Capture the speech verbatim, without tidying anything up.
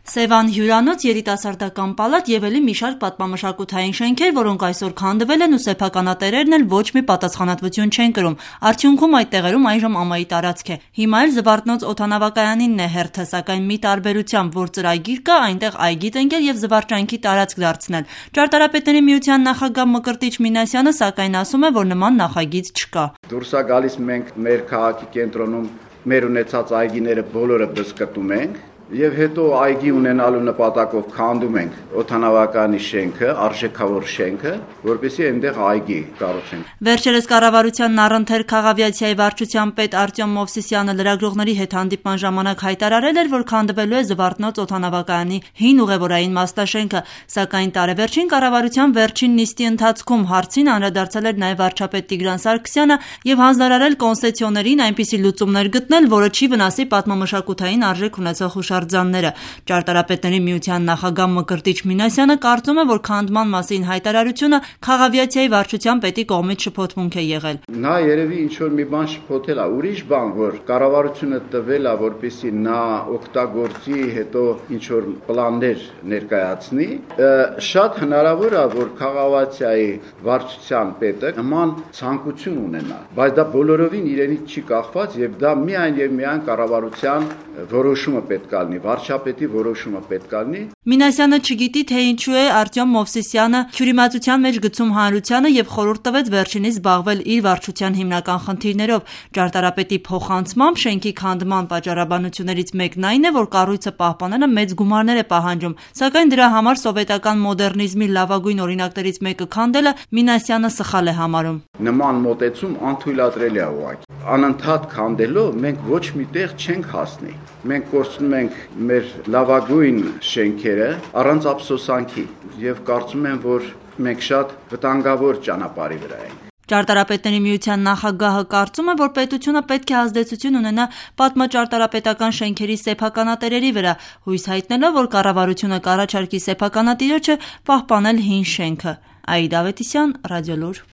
Սևան հյուրանոց, երիտասարդական պալատ եւ ելի մի շարք պատմամշակութային շենքեր, որոնք այսօր քանդվել են ու սեփականատերերն էլ ոչ մի պատասխանատվություն չեն կրում։ Արդյունքում այդ տեղերում այժմ ամայի տարածք է։ Հիմա էլ Զվարթնոց օդանավակայանինն է հերթը, սակայն մի տարբերությամբ, որ ծրագիր կա այնտեղ այգի տնկել եւ զվարճանքի տարածք դարձնել։ Ճարտարապետների միության նախագահ Մկրտիչ Մինասյանը սակայն ասում է, որ նման նախագիծ չկա։ Դուրս է գալիս, մենք մեր քաղաքի կենտրոնում մեր ունեցած այգիները բոլորը բզկտում ենք եւ հետո այգի ունենալու նպատակով քանդում ենք օդանավականի շենքը, արժեքավոր շենքը, որպեսզի այնտեղ այգի կառուցենք։ Վերջերս կառավարությանն առընթեր քաղավիացիայի վարչության պետ Արտյոմ Մովսիսյանը լրագրողների հետ հանդիպման ժամանակ հայտարարել էր, որ քանդվելու է Զվարթնոց օդանավակայանի հին ուղևորային մասնաշենքը, սակայն տարեվերջին կառավարության վերջին նիստի ընթացքում հարցին անդրադարձել էր նաեւ վարչապետ Տիգրան Սարգսյանը եւ հանձնարարել կոնցեսիոներին այնպիսի լուծումներ գտնել, որը չի վնասի պատմամշակութային արժեք ունեցող հուշարձանները։ Ճարտարապետների միության նախագահ Մկրտիչ Մինասյանը կարծում է, որ քանդման մասին հայտարարությունը քաղավիացիայի վարչության պետի կողմից շփոթմունք է եղել։ Նա երևի ինչ որ մի բան շփոթել է, ուրիշ բան, որ կառավարությունը տվել է, որպեսզի նա օգտագործի, հետո ինչ որ պլաններ ներկայացնի, շատ հնարավոր է, որ քաղավիացիայի վարչության պետը նման ցանկություն ունենա, բայց դա բոլորովին իրենից չի կախված եւ դա միայն եւ միայն կառավարության որոշումը պետք է լինի, վարչապետի որոշումը պետք է լինի։ Մինասյանը չգիտի, թե ինչու է Արտյոմ Մովսիսյանը քյուրիմացության մեջ գցում հանրությանը եւ խորհուրդ տվեց վերջինիս զբաղվել իր վարչության հիմնական խնդիրներով։ Ճարտարապետի փոխանցմամբ շենքի քանդման պատճառաբանություններից մեկն այն է, որ կառույցը պահպանելը մեծ գումարներ է պահանջում, սակայն դրա համար սովետական մոդեռնիզմի լավագույն օրինակներից մեկը քանդելը Մինասյանը սխալ է համարում։ Նման մոտեցում անթույլատրելի է ուղղակի։ Անընդհատ քանդելով մենք ոչ միտեղ չենք հասնի։ Մենք կորցնում ենք մեր լավագույն շենքերը առանց ափսոսանքի եւ կարծում եմ, որ մենք շատ վտանգավոր ճանապարհի վրա ենք։ Ճարտարապետների միության նախագահը կարծում է, որ պետությունը պետք է ազդեցություն ունենա պատմաճարտարապետական շենքերի սեփականատերերի վրա, հույս հայտնելով, որ կառավարությունը կառաջարկի սեփականատիրոջը պահպանել հին շենքը։ Աիդա Ավետիսյան, Ռադիոլուր։